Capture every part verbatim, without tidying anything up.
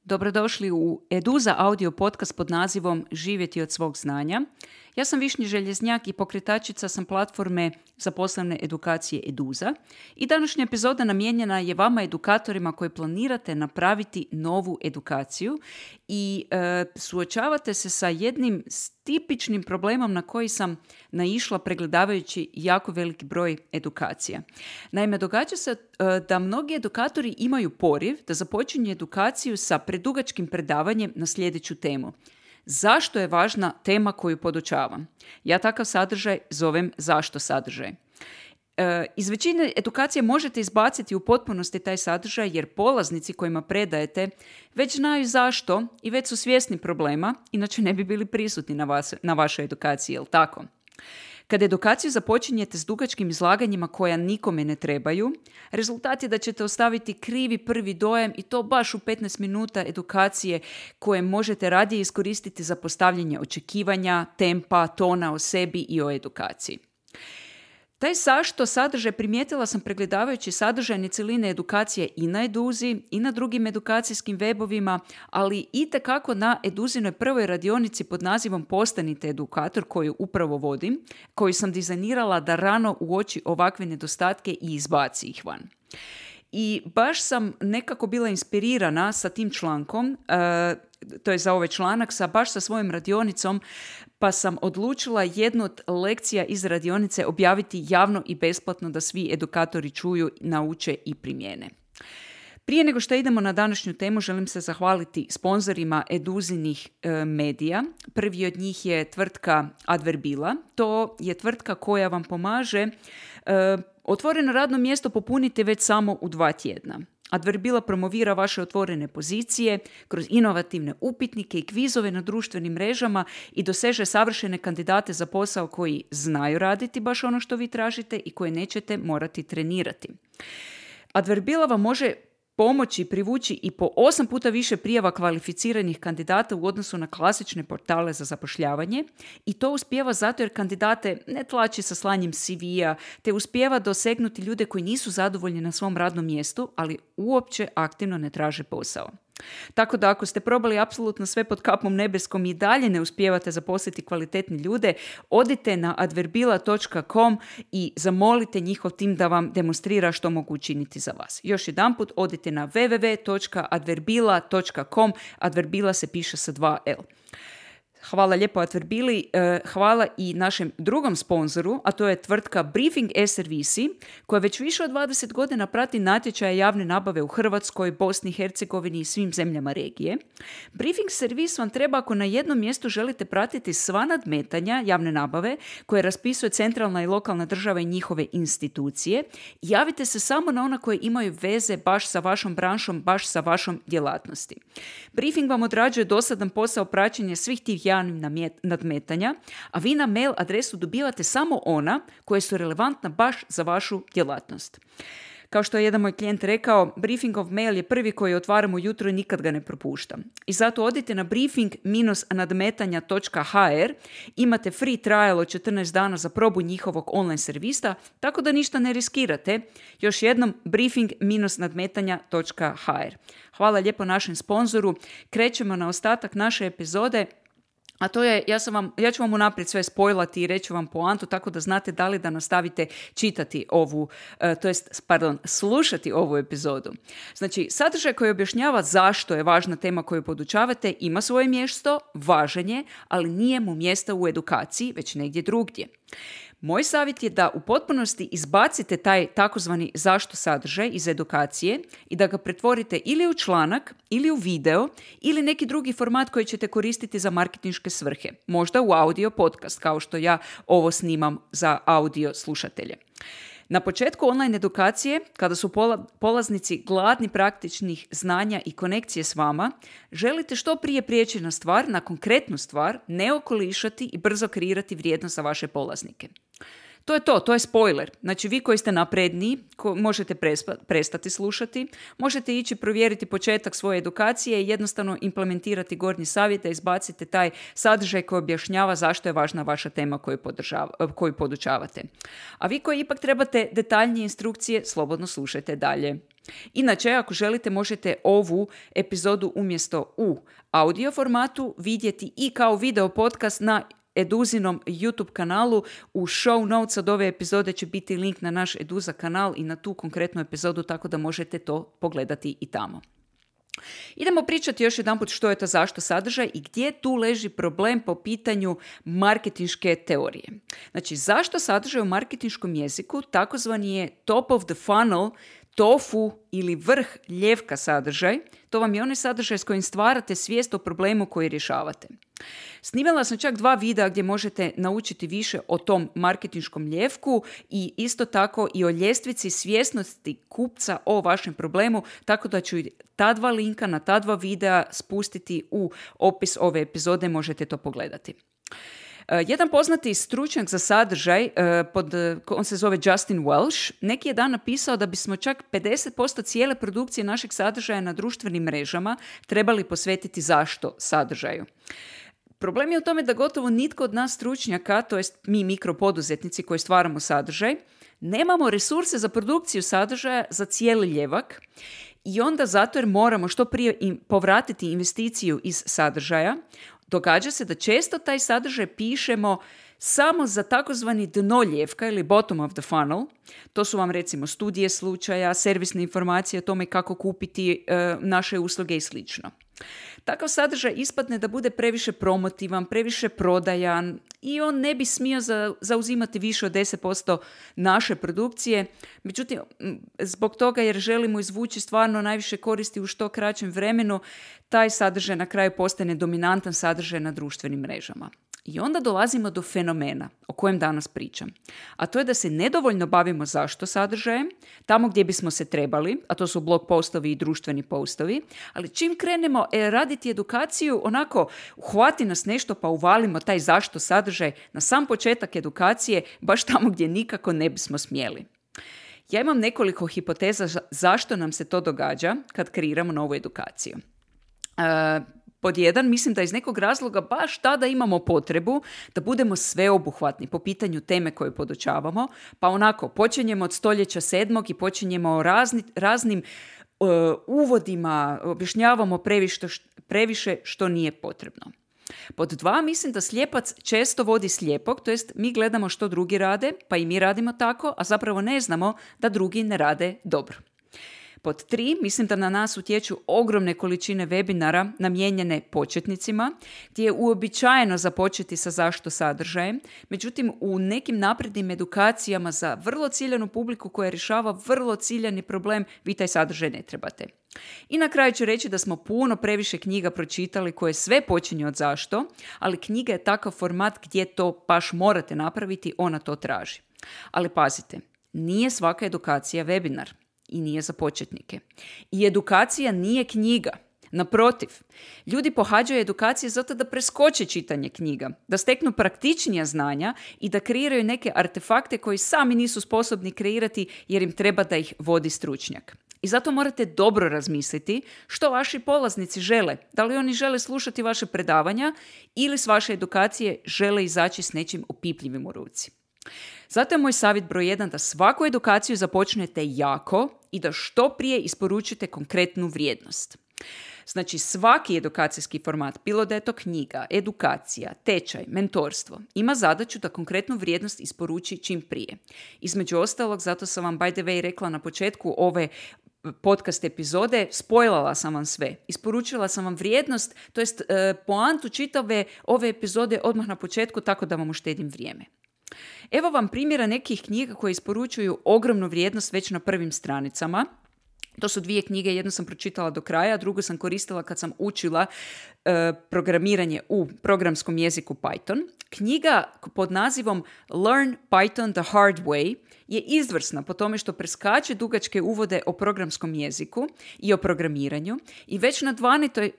Dobrodošli u Eduza audio podcast pod nazivom Živjeti od svog znanja. Ja sam Višnja Željeznjak i pokretačica sam platforme za poslovne edukacije Eduza. I današnja epizoda namijenjena je vama edukatorima koji planirate napraviti novu edukaciju i e, suočavate se sa jednim tipičnim problemom na koji sam naišla pregledavajući jako veliki broj edukacija. Naime, događa se e, da mnogi edukatori imaju poriv da započinju edukaciju sa predugačkim predavanjem na sljedeću temu. Zašto je važna tema koju podučavam? Ja takav sadržaj zovem zašto sadržaj. E, iz većine edukacije možete izbaciti u potpunosti taj sadržaj jer polaznici kojima predajete već znaju zašto i već su svjesni problema, inače ne bi bili prisutni na, vas, na vašoj edukaciji, jel tako? Kad edukaciju započinjete s dugačkim izlaganjima koja nikome ne trebaju, rezultat je da ćete ostaviti krivi prvi dojam i to baš u petnaest minuta edukacije koje možete radije iskoristiti za postavljanje očekivanja, tempa, tona o sebi i o edukaciji. Taj zašto sadržaj primijetila sam pregledavajući sadržajne cjeline edukacije i na Eduzi i na drugim edukacijskim webovima, ali itekako na Eduzinoj prvoj radionici pod nazivom Postanite edukator koju upravo vodim, koju sam dizajnirala da rano uoči ovakve nedostatke i izbaci ih van. I baš sam nekako bila inspirirana sa tim člankom, uh, to je za ovaj članak, sa, baš sa svojom radionicom, pa sam odlučila jednu od lekcija iz radionice objaviti javno i besplatno da svi edukatori čuju, nauče i primijene. Prije nego što idemo na današnju temu, želim se zahvaliti sponzorima Eduzinih e, medija. Prvi od njih je tvrtka Adverbila. To je tvrtka koja vam pomaže e, otvoreno radno mjesto popuniti već samo u dva tjedna. Adverbila promovira vaše otvorene pozicije kroz inovativne upitnike i kvizove na društvenim mrežama i doseže savršene kandidate za posao koji znaju raditi baš ono što vi tražite i koje nećete morati trenirati. Adverbila vam može pomoći privući i po osam puta više prijava kvalificiranih kandidata u odnosu na klasične portale za zapošljavanje i to uspijeva zato jer kandidate ne tlači sa slanjem C V-a, te uspijeva dosegnuti ljude koji nisu zadovoljni na svom radnom mjestu, ali uopće aktivno ne traže posao. Tako da ako ste probali apsolutno sve pod kapom nebeskom i dalje ne uspijevate zaposliti kvalitetne ljude, odite na adverbila točka com i zamolite njihov tim da vam demonstrira što mogu učiniti za vas. Još jedanput odite na w w w točka adverbila točka com, Adverbila se piše sa dva L. Hvala lijepo Adverbili, hvala i našem drugom sponzoru, a to je tvrtka Briefing e-servisi, koja već više od dvadeset godina prati natječaje javne nabave u Hrvatskoj, Bosni i Hercegovini i svim zemljama regije. Briefing servis vam treba ako na jednom mjestu želite pratiti sva nadmetanja javne nabave koje raspisuje centralna i lokalna država i njihove institucije. Javite se samo na ona koje imaju veze baš sa vašom branšom, baš sa vašom djelatnosti. Briefing vam odrađuje dosadan posao praćenja svih tih javnih nadmetanja, a vi na mail adresu dobivate samo ona koje su relevantna baš za vašu djelatnost. Kao što je jedan moj klijent rekao, briefingov mail je prvi koji otvaram ujutro i nikad ga ne propuštam. I zato odite na briefing dash nadmetanja točka h r, imate free trial od četrnaest dana za probu njihovog online servisa, tako da ništa ne riskirate. Još jednom, briefing dash nadmetanja točka h r. Hvala lijepo našem sponzoru. Krećemo na ostatak naše epizode. A to je, ja, sam vam, ja ću vam unaprijed sve spojlati i reći vam poantu tako da znate da li da nastavite čitati ovu, uh, to jest, pardon, slušati ovu epizodu. Znači, sadržaj koji objašnjava zašto je važna tema koju podučavate ima svoje mjesto, važan je, ali nije mu mjesta u edukaciji, već negdje drugdje. Moj savjet je da u potpunosti izbacite taj takozvani zašto sadržaj iz edukacije i da ga pretvorite ili u članak, ili u video, ili neki drugi format koji ćete koristiti za marketinške svrhe. Možda u audio podcast, kao što ja ovo snimam za audio slušatelje. Na početku online edukacije, kada su pola, polaznici gladni praktičnih znanja i konekcije s vama, želite što prije prijeći na stvar, na konkretnu stvar, ne okolišati i brzo kreirati vrijednost za vaše polaznike. To je to, to je spoiler. Znači vi koji ste napredniji, ko, možete prespa, prestati slušati, možete ići provjeriti početak svoje edukacije i jednostavno implementirati gornji savjet da izbacite taj sadržaj koji objašnjava zašto je važna vaša tema koju, koju podučavate. A vi koji ipak trebate detaljnije instrukcije, slobodno slušajte dalje. Inače, ako želite, možete ovu epizodu umjesto u audio formatu vidjeti i kao video podcast na Eduzinom YouTube kanalu. U show notes od ove epizode će biti link na naš Eduza kanal i na tu konkretnu epizodu, tako da možete to pogledati i tamo. Idemo pričati još jedanput što je to zašto sadržaj i gdje tu leži problem po pitanju marketinške teorije. Znači, zašto sadržaj u marketinškom jeziku takozvani je top of the funnel, tofu ili vrh ljevka sadržaj. To vam je onaj sadržaj s kojim stvarate svijest o problemu koji rješavate. Snimala sam čak dva videa gdje možete naučiti više o tom marketinškom ljevku i isto tako i o ljestvici svjesnosti kupca o vašem problemu, tako da ću ta dva linka na ta dva videa spustiti u opis ove epizode, možete to pogledati. Uh, jedan poznati stručnjak za sadržaj, uh, pod, on se zove Justin Welsh, neki je dan napisao da bismo čak pedeset posto cijele produkcije našeg sadržaja na društvenim mrežama trebali posvetiti zašto sadržaju. Problem je u tome da gotovo nitko od nas stručnjaka, to jest mi mikropoduzetnici koji stvaramo sadržaj, nemamo resurse za produkciju sadržaja za cijeli ljevak i onda zato jer moramo što prije im povratiti investiciju iz sadržaja, događa se da često taj sadržaj pišemo samo za takozvani dno ljevka ili bottom of the funnel. To su vam recimo studije slučaja, servisne informacije o tome kako kupiti e, naše usluge i slično. Takav sadržaj ispadne da bude previše promotivan, previše prodajan i on ne bi smio za, zauzimati više od deset posto naše produkcije. Međutim, zbog toga jer želimo izvući stvarno najviše koristi u što kraćem vremenu, taj sadržaj na kraju postane dominantan sadržaj na društvenim mrežama. I onda dolazimo do fenomena o kojem danas pričam. A to je da se nedovoljno bavimo zašto sadržajem, tamo gdje bismo se trebali, a to su blog postovi i društveni postovi, ali čim krenemo e, raditi edukaciju, onako uhvati nas nešto pa uvalimo taj zašto sadržaj na sam početak edukacije, baš tamo gdje nikako ne bismo smjeli. Ja imam nekoliko hipoteza zašto nam se to događa kad kreiramo novu edukaciju. Uh, Pod jedan, mislim da iz nekog razloga baš tada imamo potrebu da budemo sveobuhvatni po pitanju teme koje podučavamo, pa onako počinjemo od stoljeća sedmog i počinjemo razni, raznim uh, uvodima, objašnjavamo previše, previše što nije potrebno. Pod dva, mislim da slijepac često vodi slijepog, to jest mi gledamo što drugi rade, pa i mi radimo tako, a zapravo ne znamo da drugi ne rade dobro. Pod tri, mislim da na nas utječu ogromne količine webinara namijenjene početnicima, gdje je uobičajeno započeti sa zašto sadržajem, međutim u nekim naprednim edukacijama za vrlo ciljanu publiku koja rješava vrlo ciljani problem, vi taj sadržaj ne trebate. I na kraju ću reći da smo puno previše knjiga pročitali koje sve počinju od zašto, ali knjiga je takav format gdje to baš morate napraviti, ona to traži. Ali pazite, nije svaka edukacija webinar. I nije za početnike. I edukacija nije knjiga. Naprotiv, ljudi pohađaju edukacije zato da preskoče čitanje knjiga, da steknu praktičnija znanja i da kreiraju neke artefakte koji sami nisu sposobni kreirati jer im treba da ih vodi stručnjak. I zato morate dobro razmisliti što vaši polaznici žele. Da li oni žele slušati vaše predavanja ili s vaše edukacije žele izaći s nečim opipljivim u ruci. Zato je moj savjet broj jedan da svaku edukaciju započnete jako i da što prije isporučite konkretnu vrijednost. Znači svaki edukacijski format, bilo da je to knjiga, edukacija, tečaj, mentorstvo, ima zadaću da konkretnu vrijednost isporuči čim prije. Između ostalog, zato sam vam by the way rekla na početku ove podcast epizode, spojlala sam vam sve. Isporučila sam vam vrijednost, to jest e, poantu čitave ove epizode odmah na početku, tako da vam uštedim vrijeme. Evo vam primjera nekih knjiga koje isporučuju ogromnu vrijednost već na prvim stranicama. To su dvije knjige, jednu sam pročitala do kraja, a drugu sam koristila kad sam učila e, programiranje u programskom jeziku Python. Knjiga pod nazivom Learn Python the Hard Way je izvrsna po tome što preskače dugačke uvode o programskom jeziku i o programiranju i već na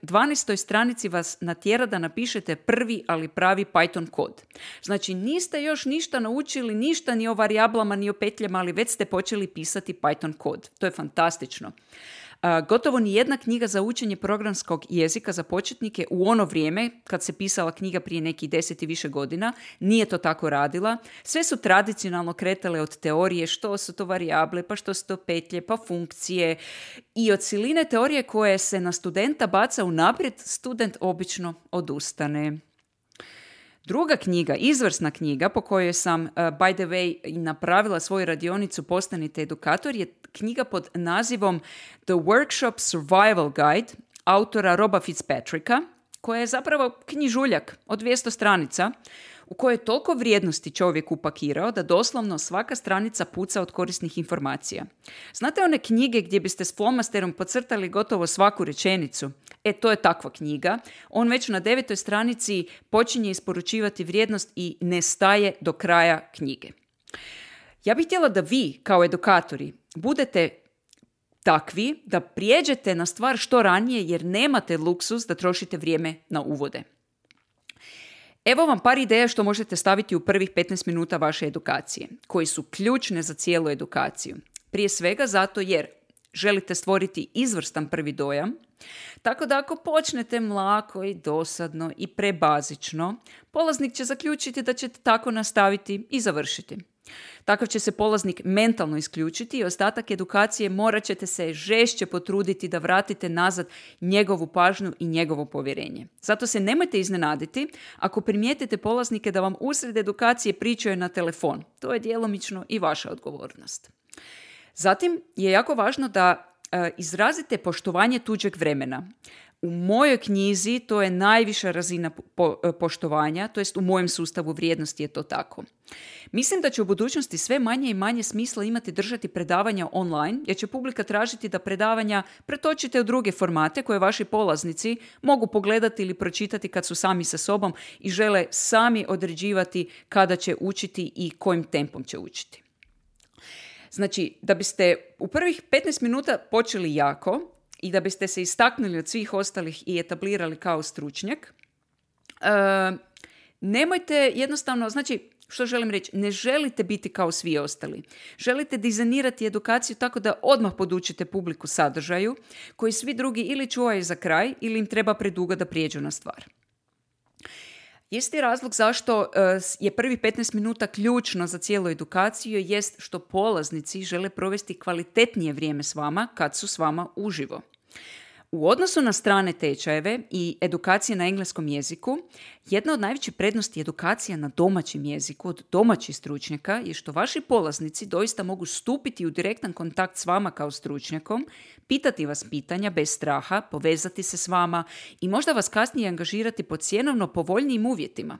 dvanaestoj stranici vas natjera da napišete prvi, ali pravi Python kod. Znači niste još ništa naučili, ništa ni o varijablama, ni o petljama, ali već ste počeli pisati Python kod. To je fantastično. Uh, gotovo ni jedna knjiga za učenje programskog jezika za početnike u ono vrijeme, kad se pisala knjiga prije nekih deset i više godina, nije to tako radila. Sve su tradicionalno kretale od teorije što su to varijable, pa što su to petlje, pa funkcije. I od siline teorije koje se na studenta baca unaprijed, student obično odustane. Druga knjiga, izvrsna knjiga po kojoj sam, uh, by the way, napravila svoju radionicu Postanite edukator, je knjiga pod nazivom The Workshop Survival Guide autora Roba Fitzpatricka, koja je zapravo knjižuljak od dvjesto stranica u kojoj je toliko vrijednosti čovjek upakirao da doslovno svaka stranica puca od korisnih informacija. Znate one knjige gdje biste s flomasterom podcrtali gotovo svaku rečenicu? E, to je takva knjiga. On već na devetoj stranici počinje isporučivati vrijednost i ne staje do kraja knjige. Ja bih htjela da vi, kao edukatori, budete takvi da prijeđete na stvar što ranije jer nemate luksuz da trošite vrijeme na uvode. Evo vam par ideja što možete staviti u prvih petnaest minuta vaše edukacije, koji su ključne za cijelu edukaciju. Prije svega zato jer želite stvoriti izvrstan prvi dojam, tako da ako počnete mlako i dosadno i prebazično, polaznik će zaključiti da ćete tako nastaviti i završiti. Takav će se polaznik mentalno isključiti i ostatak edukacije morat ćete se žešće potruditi da vratite nazad njegovu pažnju i njegovo povjerenje. Zato se nemojte iznenaditi ako primijetite polaznike da vam usred edukacije pričaju na telefon. To je djelomično i vaša odgovornost. Zatim je jako važno da e, izrazite poštovanje tuđeg vremena. U mojoj knjizi to je najviša razina po, poštovanja, to jest u mojem sustavu vrijednosti je to tako. Mislim da će u budućnosti sve manje i manje smisla imati držati predavanja online, jer će publika tražiti da predavanja pretočite u druge formate koje vaši polaznici mogu pogledati ili pročitati kad su sami sa sobom i žele sami određivati kada će učiti i kojim tempom će učiti. Znači, da biste u prvih petnaest minuta počeli jako, i da biste se istaknuli od svih ostalih i etablirali kao stručnjak, e, nemojte jednostavno, znači, što želim reći, ne želite biti kao svi ostali. Želite dizajnirati edukaciju tako da odmah podučite publiku sadržaju koji svi drugi ili čuvaju za kraj ili im treba predugo da prijeđu na stvar. Isti razlog zašto uh, je prvi petnaest minuta ključno za cijelu edukaciju jest što polaznici žele provesti kvalitetnije vrijeme s vama kad su s vama uživo. U odnosu na strane tečajeve i edukacije na engleskom jeziku, jedna od najvećih prednosti edukacija na domaćem jeziku od domaćih stručnjaka je što vaši polaznici doista mogu stupiti u direktan kontakt s vama kao stručnjakom, pitati vas pitanja bez straha, povezati se s vama i možda vas kasnije angažirati pod cjenovno povoljnijim uvjetima.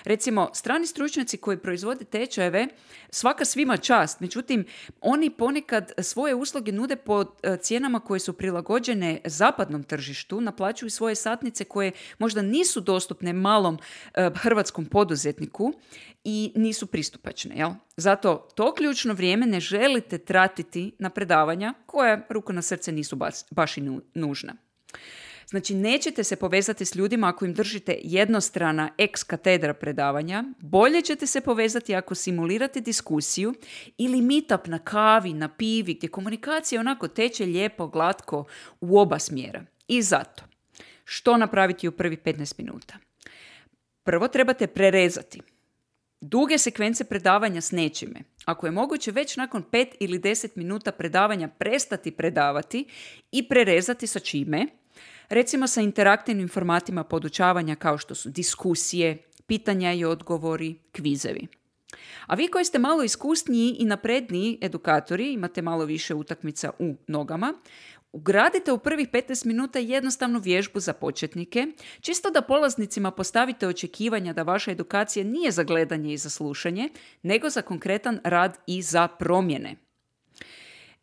Recimo, strani stručnjaci koji proizvode tečajeve, svaka svima čast, međutim, oni ponekad svoje usluge nude po cijenama koje su prilagođene zapadnom tržištu, naplaćuju svoje satnice koje možda nisu dostupne malom uh, hrvatskom poduzetniku i nisu pristupačne. Jel? Zato to ključno vrijeme ne želite tratiti na predavanja koja, ruku na srce, nisu baš, baš i nužna. Znači, nećete se povezati s ljudima ako im držite jednostrana ex katedra predavanja, bolje ćete se povezati ako simulirate diskusiju ili meetup na kavi, na pivi, gdje komunikacija onako teče lijepo, glatko u oba smjera. I zato, što napraviti u prvih petnaest minuta? Prvo trebate prerezati duge sekvence predavanja s nečime. Ako je moguće već nakon pet ili deset minuta predavanja prestati predavati i prerezati sa čime? Recimo sa interaktivnim formatima podučavanja kao što su diskusije, pitanja i odgovori, kvizevi. A vi koji ste malo iskusniji i napredniji edukatori, imate malo više utakmica u nogama, ugradite u prvih petnaest minuta jednostavnu vježbu za početnike, čisto da polaznicima postavite očekivanja da vaša edukacija nije za gledanje i za slušanje, nego za konkretan rad i za promjene.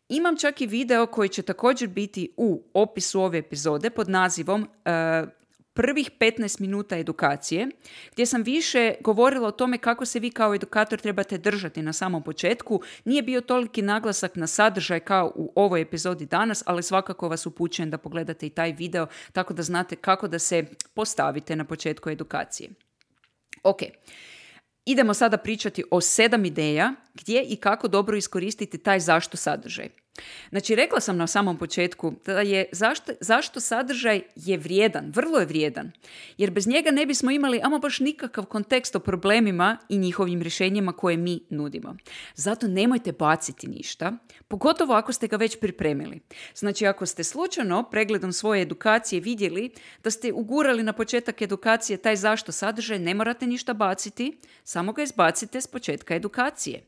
Imam čak i video koji će također biti u opisu ove epizode pod nazivom uh, prvih petnaest minuta edukacije, gdje sam više govorila o tome kako se vi kao edukator trebate držati na samom početku. Nije bio toliki naglasak na sadržaj kao u ovoj epizodi danas, ali svakako vas upućujem da pogledate i taj video tako da znate kako da se postavite na početku edukacije. Ok. Idemo sada pričati o sedam ideja gdje i kako dobro iskoristiti taj zašto sadržaj. Znači, rekla sam na samom početku da je zašto, zašto sadržaj je vrijedan, vrlo je vrijedan. Jer bez njega ne bismo imali ama baš nikakav kontekst o problemima i njihovim rješenjima koje mi nudimo. Zato nemojte baciti ništa, pogotovo ako ste ga već pripremili. Znači, ako ste slučajno pregledom svoje edukacije vidjeli da ste ugurali na početak edukacije taj zašto sadržaj, ne morate ništa baciti, samo ga izbacite s početka edukacije.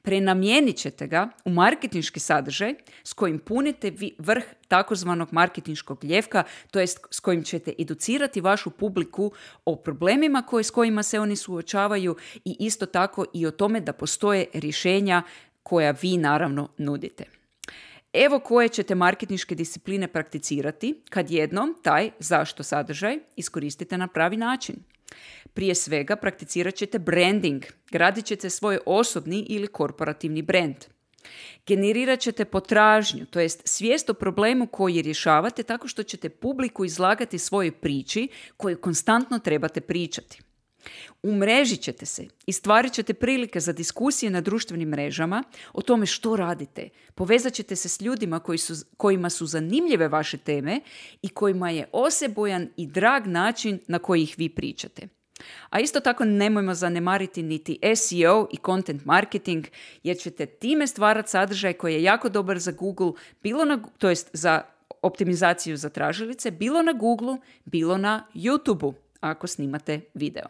Prenamijenit ćete ga u marketinški sadržaj s kojim punite vrh takozvanog marketinškog ljevka, to jest s kojim ćete educirati vašu publiku o problemima koje, s kojima se oni suočavaju i isto tako i o tome da postoje rješenja koja vi naravno nudite. Evo koje ćete marketinške discipline prakticirati kad jednom taj zašto sadržaj iskoristite na pravi način. Prije svega prakticirat ćete branding, gradit ćete svoj osobni ili korporativni brand. Generirat ćete potražnju, to jest svijest o problemu koji rješavate tako što ćete publiku izlagati svojoj priči koju konstantno trebate pričati. Umrežit ćete se i stvarit ćete prilike za diskusije na društvenim mrežama o tome što radite. Povezat ćete se s ljudima koji su, kojima su zanimljive vaše teme i kojima je osebujan i drag način na koji ih vi pričate. A isto tako nemojmo zanemariti niti S E O i content marketing, jer ćete time stvarati sadržaj koji je jako dobar za Google, bilo na, to jest za optimizaciju za tražilice, bilo na Google, bilo na YouTubeu, ako snimate video.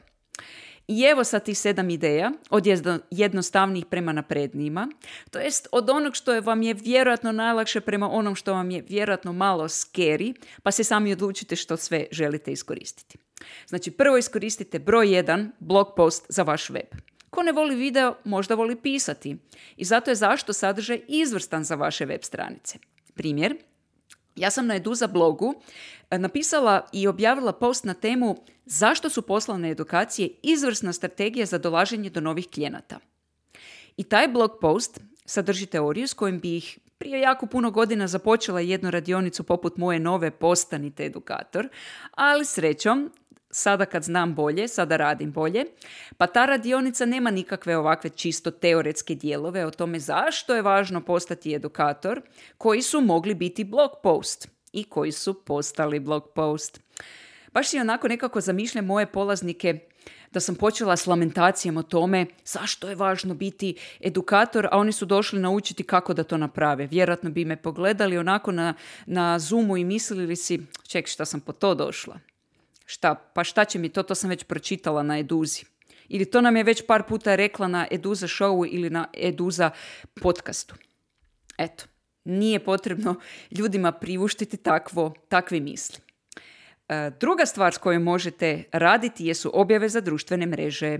I evo sad tih sedam ideja, od jednostavnijih prema naprednijima, to jest od onog što je vam je vjerojatno najlakše prema onom što vam je vjerojatno malo scary, pa se sami odlučite što sve želite iskoristiti. Znači, prvo iskoristite broj jedan, blog post za vaš web. Ko ne voli video, možda voli pisati. I zato je zašto sadržaj izvrstan za vaše web stranice. Primjer, ja sam na Eduza blogu napisala i objavila post na temu zašto su poslovne edukacije izvrsna strategija za dolaženje do novih klijenata. I taj blog post sadrži teoriju s kojim bi ih prije jako puno godina započela jednu radionicu poput moje nove Postanite edukator, ali srećom, sada kad znam bolje, sada radim bolje, pa ta radionica nema nikakve ovakve čisto teoretske dijelove o tome zašto je važno postati edukator, koji su mogli biti blog post i koji su postali blog post. Baš si onako nekako zamišljam moje polaznike da sam počela s lamentacijom o tome zašto je važno biti edukator, a oni su došli naučiti kako da to naprave. Vjerojatno bi me pogledali onako na, na Zoomu i mislili si, ček, šta sam po to došla? Šta, pa šta će mi to, to sam već pročitala na Eduzi. Ili to nam je već par puta rekla na Eduza showu ili na Eduza podcastu. Eto, nije potrebno ljudima priuštiti takvo, takve misli. E, druga stvar s kojom možete raditi jesu objave za društvene mreže.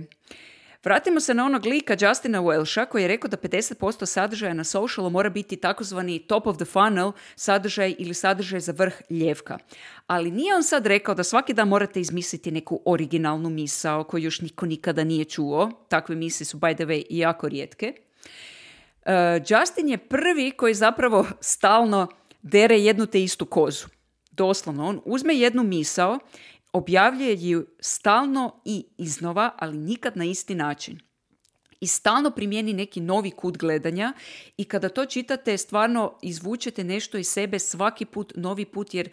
Vratimo se na onog lika Justina Welsha koji je rekao da pedeset posto sadržaja na socialu mora biti takozvani top of the funnel sadržaj ili sadržaj za vrh ljevka. Ali nije on sad rekao da svaki dan morate izmisliti neku originalnu misao koju još niko nikada nije čuo. Takve misli su, by the way, jako rijetke. Uh, Justin je prvi koji zapravo stalno dere jednu te istu kozu. Doslovno, on uzme jednu misao, objavljuje ju stalno i iznova, ali nikad na isti način. I stalno primijeni neki novi kut gledanja i kada to čitate, stvarno izvučete nešto iz sebe svaki put, novi put, jer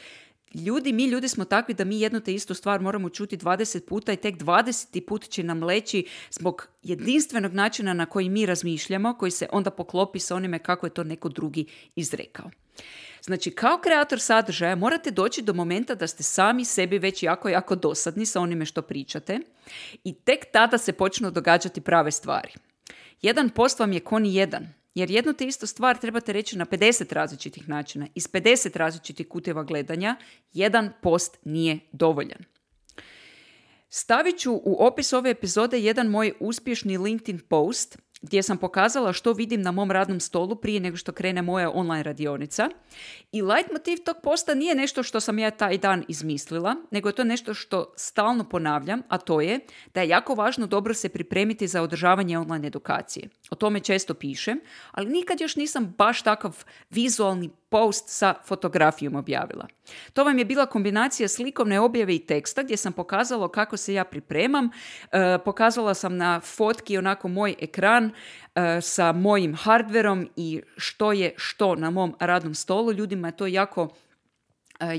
ljudi, mi ljudi smo takvi da mi jednu te istu stvar moramo čuti dvadeset puta i tek dvadeseti put će nam leći zbog jedinstvenog načina na koji mi razmišljamo, koji se onda poklopi sa onime kako je to neko drugi izrekao. Znači, kao kreator sadržaja morate doći do momenta da ste sami sebi već jako, jako dosadni sa onime što pričate i tek tada se počnu događati prave stvari. Jedan post vam je ko ni jedan, jer jednu te istu stvar trebate reći na pedeset različitih načina. Iz pedeset različitih kuteva gledanja jedan post nije dovoljan. Stavit ću u opis ove epizode jedan moj uspješni LinkedIn post gdje sam pokazala što vidim na mom radnom stolu prije nego što krene moja online radionica. I leitmotiv tog posta nije nešto što sam ja taj dan izmislila, nego je to nešto što stalno ponavljam, a to je da je jako važno dobro se pripremiti za održavanje online edukacije. O tome često pišem, ali nikad još nisam baš takav vizualni post sa fotografijom objavila. To vam je bila kombinacija slikovne objave i teksta gdje sam pokazala kako se ja pripremam. E, pokazala sam na fotki onako moj ekran e, sa mojim hardverom i što je što na mom radnom stolu. Ljudima je to jako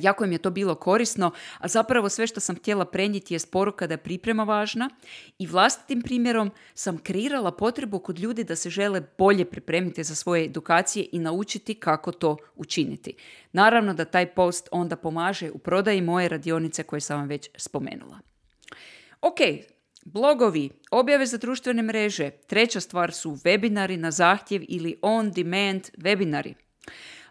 Jako im je to bilo korisno, a zapravo sve što sam htjela prenijeti je poruka da je priprema važna i vlastitim primjerom sam kreirala potrebu kod ljudi da se žele bolje pripremiti za svoje edukacije i naučiti kako to učiniti. Naravno da taj post onda pomaže u prodaji moje radionice koje sam vam već spomenula. Ok, blogovi, objave za društvene mreže, treća stvar su webinari na zahtjev ili on-demand webinari.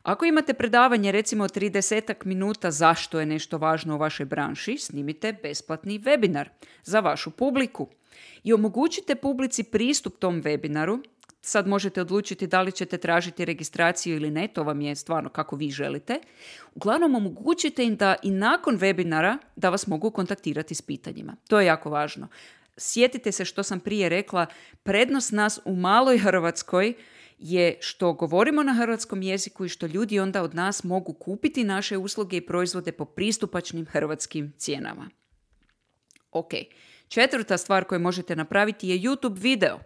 Ako imate predavanje recimo trideset minuta zašto je nešto važno u vašoj branši, snimite besplatni webinar za vašu publiku i omogućite publici pristup tom webinaru. Sad možete odlučiti da li ćete tražiti registraciju ili ne, to vam je stvarno kako vi želite. Uglavnom omogućite im da i nakon webinara da vas mogu kontaktirati s pitanjima. To je jako važno. Sjetite se što sam prije rekla, prednost nas u maloj Hrvatskoj je što govorimo na hrvatskom jeziku i što ljudi onda od nas mogu kupiti naše usluge i proizvode po pristupačnim hrvatskim cijenama. Ok, četvrta stvar koju možete napraviti je YouTube video.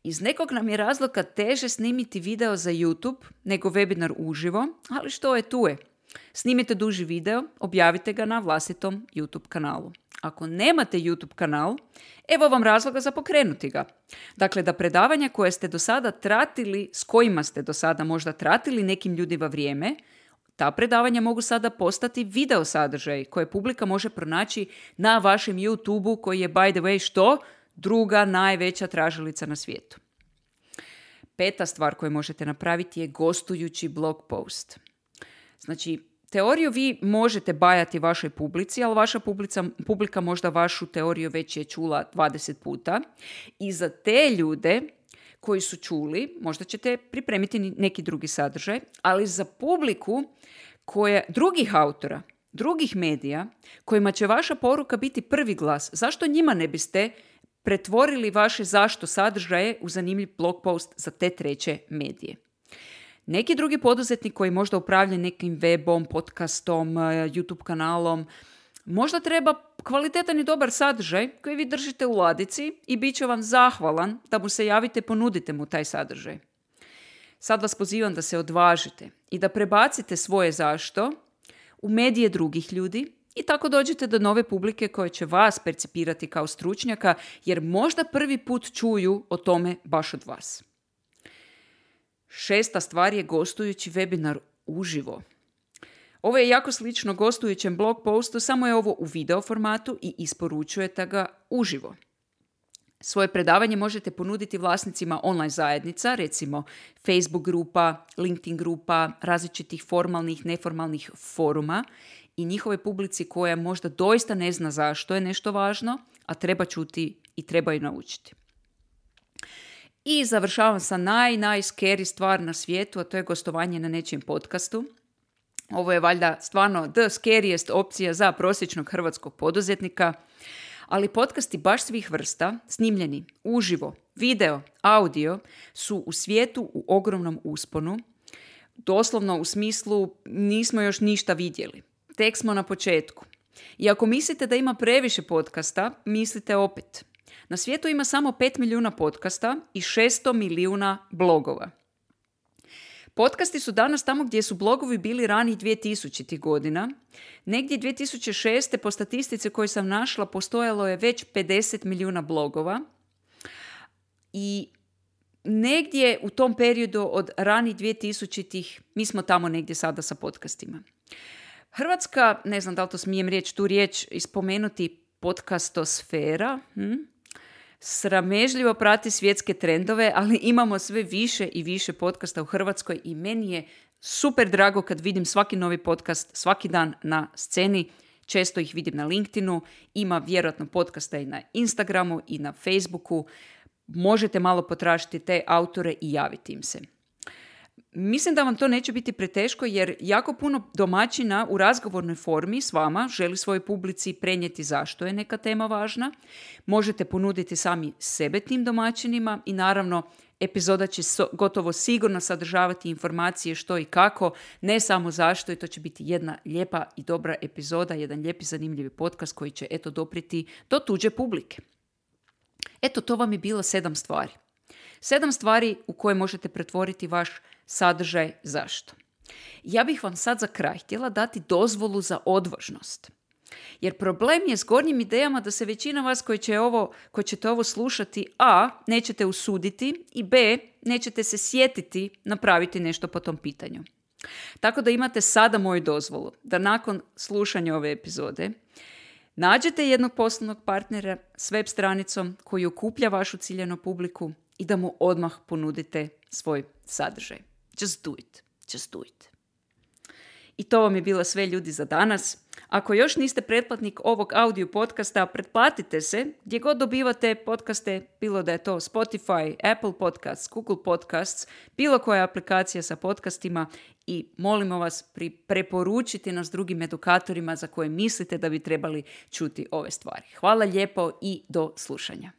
Iz nekog nam je razloga teže snimiti video za YouTube nego webinar uživo, ali što je tu je. Snimite duži video, objavite ga na vlastitom YouTube kanalu. Ako nemate YouTube kanal, evo vam razloga za pokrenuti ga. Dakle, da predavanja koje ste do sada tratili, s kojima ste do sada možda tratili nekim ljudima vrijeme, ta predavanja mogu sada postati video sadržaj koje publika može pronaći na vašem YouTubeu koji je, by the way, što? Druga najveća tražilica na svijetu. Peta stvar koju možete napraviti je gostujući blog post. Znači, teoriju vi možete bajati vašoj publici, ali vaša publica, publika možda vašu teoriju već je čula dvadeset puta. I za te ljude koji su čuli, možda ćete pripremiti neki drugi sadržaj, ali za publiku koja, drugih autora, drugih medija, kojima će vaša poruka biti prvi glas, zašto njima ne biste pretvorili vaše zašto sadržaje u zanimljiv blog post za te treće medije? Neki drugi poduzetnik koji možda upravlja nekim webom, podcastom, YouTube kanalom, možda treba kvalitetan i dobar sadržaj koji vi držite u ladici i bit će vam zahvalan da mu se javite, ponudite mu taj sadržaj. Sad vas pozivam da se odvažite i da prebacite svoje zašto u medije drugih ljudi i tako dođete do nove publike koje će vas percipirati kao stručnjaka jer možda prvi put čuju o tome baš od vas. Šesta stvar je gostujući webinar uživo. Ovo je jako slično gostujućem blog postu, samo je ovo u video formatu i isporučujete ga uživo. Svoje predavanje možete ponuditi vlasnicima online zajednica, recimo Facebook grupa, LinkedIn grupa, različitih formalnih, neformalnih foruma i njihove publici koja možda doista ne zna zašto je nešto važno, a treba čuti i treba ju naučiti. I završavam sa naj, naj scary stvar na svijetu, a to je gostovanje na nečijem podcastu. Ovo je valjda stvarno the scariest opcija za prosječnog hrvatskog poduzetnika, ali podcasti baš svih vrsta, snimljeni uživo, video, audio, su u svijetu u ogromnom usponu. Doslovno u smislu nismo još ništa vidjeli. Tek smo na početku. I ako mislite da ima previše podcasta, mislite opet. Na svijetu ima samo pet milijuna podcasta i šesto milijuna blogova. Podcasti su danas tamo gdje su blogovi bili ranih dvije tisućitih godina. Negdje dvije tisuće šeste po statistici koju sam našla postojalo je već pedeset milijuna blogova. I negdje u tom periodu od ranih dvije tisućitih mi smo tamo negdje sada sa podcastima. Hrvatska, ne znam da li to smijem riječ, tu riječ ispomenuti, podcastosfera, hm? sramežljivo prati svjetske trendove, ali imamo sve više i više podcasta u Hrvatskoj i meni je super drago kad vidim svaki novi podcast svaki dan na sceni. Često ih vidim na LinkedInu, ima vjerojatno podcasta i na Instagramu i na Facebooku. Možete malo potražiti te autore i javiti im se. Mislim da vam to neće biti preteško jer jako puno domaćina u razgovornoj formi s vama želi svojoj publici prenijeti zašto je neka tema važna. Možete ponuditi sami sebe tim domaćinima i naravno epizoda će so, gotovo sigurno sadržavati informacije što i kako, ne samo zašto, i to će biti jedna lijepa i dobra epizoda, jedan lijepi zanimljivi podcast koji će eto dopriti do tuđe publike. Eto, to vam je bilo sedam stvari. Sedam stvari u koje možete pretvoriti vaš sadržaj zašto. Ja bih vam sad za kraj htjela dati dozvolu za odvažnost. Jer problem je s gornjim idejama da se većina vas koji, će ovo, koji ćete ovo slušati, a, nećete usuditi i b, nećete se sjetiti napraviti nešto po tom pitanju. Tako da imate sada moju dozvolu da nakon slušanja ove epizode nađete jednog poslovnog partnera s web stranicom koji okuplja vašu ciljanu publiku i da mu odmah ponudite svoj sadržaj. Just do it. Just do it. I to vam je bilo sve, ljudi, za danas. Ako još niste pretplatnik ovog audio podcasta, pretplatite se gdje god dobivate podcaste, bilo da je to Spotify, Apple Podcasts, Google Podcasts, bilo koja aplikacija sa podcastima, i molimo vas pri preporučiti nas drugim edukatorima za koje mislite da bi trebali čuti ove stvari. Hvala lijepo i do slušanja.